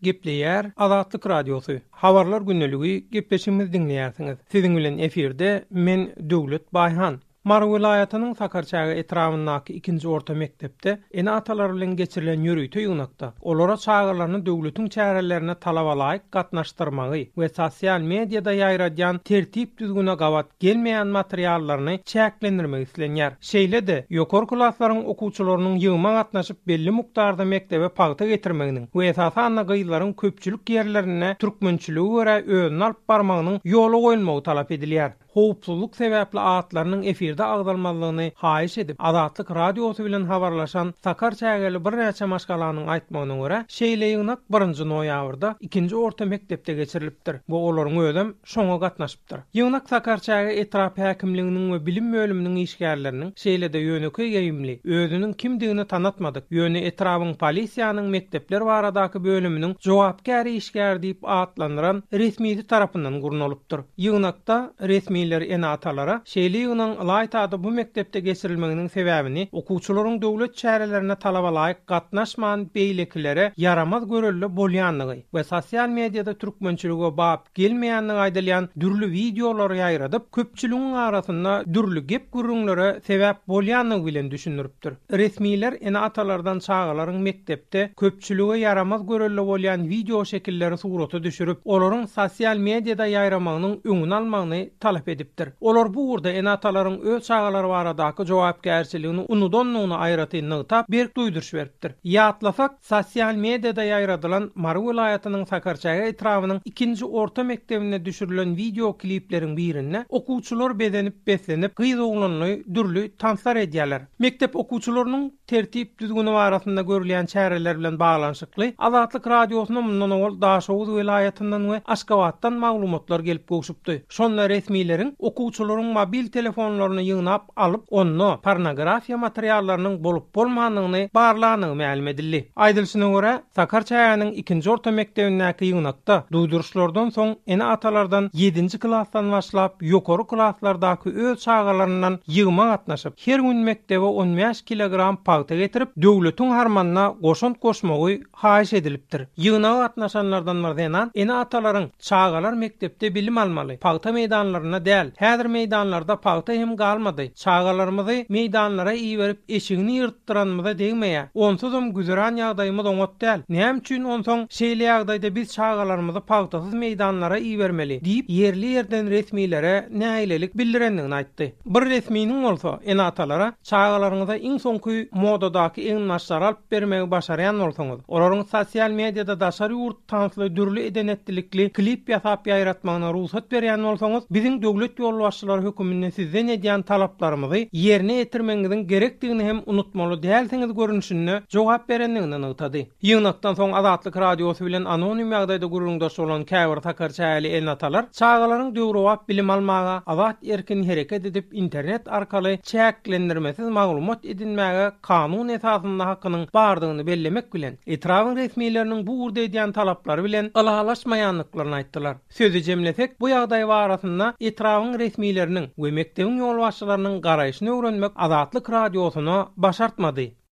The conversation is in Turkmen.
Gepleýär Azatlyk Radiosy, Habarlar gündeligi gepleşigimizi diňleýärsiňiz. Siziň bilen efirde men Döwlet Baýhan. Mary welaýatynyň Sakarçäge etrabyndaky ikinji orta mekdepde ene-atalar bilen geçirilen ýörite ýygnakda olara çagalaryny döwletiň çärelerine talabalaýyk gatnaşdyrmagy we sosial mediada ýaýradýan tertip-düzgüne gabat gelmeýän materiallaryny çäklendirmek islenýär. Şeýle-de, ýokary klaslaryň okuwçylarynyň ýygyma gatnaşyp belli mukdarda mekdebe pagta getirmeginiň we esasanda gyzlaryň köpçülik ýerlerinde türkmençilige görä özüni alyp barmagynyň ýola goýulmagy talap edilýär. Howpsuzlyk sebäpli atlarynyň efirde agzalmazlygyny haýyş edip, Azatlyk Radiosy bilen habarlaşan sakar çägeli birnäçe maşgalanyň aýtmagyna görä, şeýle ýygnak birinji noýabrda ikinji orta mekdepde geçirilipdir we olaryň özem şoňa gatnaşypdyr. Ýygnak Sakarçäge etrap häkimliginiň we bilim bölüminiň işgärleriniň, şeýle-de ýönekeý geýimli, özüniň kimdigini tanatmadyk, ýöne etrabyň polisiýanyň mekdepler baradaky bölüminiň jogapkär işgäri diýip atlandyran resmisi tarapyndan gurnalypdyr. Ýygnakda resmiler ene-atalara şeýle ýygnagyň ylaýta-da bu mekdepde geçirilmeginiň sebäbini okuwçylaryň döwlet çärelerine talabalaýyk gatnaşman beýlekilere ýaramaz görelde bolýandygy we sosial mediada türkmençilige bap gelmeýändigi aýdylýan dürli wideolary ýaýradyp, köpçüligiň arasynda dürli gep-gürrüňlere sebäp bolýandygy bilen düşündiripdir. Resmiler ene-atalardan çagalaryň mekdepde köpçülige ýaramaz görelde bolýan wideoşekilleri surata düşürip, olaryň sosial mediada ýaýramagynyň öňüni almagyny talap edipdir. Olar bu ugurda ene-atalaryň öz çagalary baradaky jogapkärçiligini unudandygyny aýratyn nygtap, berk duýduryş beripdir. Ýatlasak, Sosial mediada ýaýradylan Mary welaýatynyň Sakarçäge etrabynyň ikinji orta mekdebinde düşürilen wideo klipleriň birinde okuwçylar bezenip-beslenip, gyz-oglanly dürli tanslar edýärler. Mekdep okuwçylarynyň tertip-düzgüni barasynda görülýän çäreler bilen baglanyşykly Azatlyk Radiosyna mundan owal Daşoguz welaýatyndan we Aşgabatdan maglumatlar gelip gowşupdy. Şonda resmileriň okuwçylaryň mobil telefonlaryny ýygnap alyp, onda pornografiýa materiallarynyň bolup-bolmandygyny barlandygy mälim edildi. Aýdylyşyna görä, Sakarçägäniň ikinji orta mekdebindäki ýygnakda duýduryşlardan soň ene-atalardan ýedinji klasdan başlap ýokary klaslardaky öz çagalaryndan ýygyma gatnaşyp, her gün mekdebe on bäş kilogram pagta getirip, döwletiň harmanyna goşant goşmagy haýyş edilipdir. Ýygnaga gatnaşanlardan bir zenan ene-atalaryň Çagalar mekdepde bilim almaly, pagta meýdanlarynda däl. Häzir meýdanlarda pagta hem galmady. Çagalarymyzy meýdanlara iberip eşigini ýyrtdyranymyza degmeýär. Onsuzam güzeran ýagdaýymyz oňat däl. Näme üçin onsoň şeýle ýagdaýda biz çagalarymyzy pagtasyz meýdanlara ibermeli? diýip, ýerli-ýerden resmilere nägilelik bildirendigini aýtdy. Bir resminiň bolsa ene-atalara Çagalaryňyza iň soňky modadaky eginbaşlary alyp bermegi başarýan bolsaňyz, olaryň sosial mediada daşary ýurt tansly dürli eden-etdilikli klip ýasap ýaýratmagyna rugsat berýän bolsaňyz, biziň döwlet ýolbaşçylary höküminde sizden edýän talaplarymyzy ýerine ýetirmegiňiziň gerekdigini hem unutmaly dälsiňiz görnüşinde jogap berendigini nygtady. Ýygnakdan soň Azatlyk Radiosy bilen anonim ýagdaýda gürrüňdeş bolan käbir sakarçägeli ene-atalar çagalaryň döwrebap bilim almaga, azat-erkin hereket edip internet arkaly çäklendirmesiz maglumat edinmäge kanun esasynda hakynyň bardygyny bellemek bilen, etrabyň resmileriniň bu ugurda edýän talaplary bilen ylalaşmaýandyklaryny aýtdylar. Sözi jemlesek, bu ýagdaý barasynda etrabyň resmileriniň we mekdebiň ýolbaşçylarynyň garaýşyny öwrenmek Azatlyk Radiosyna başartmady.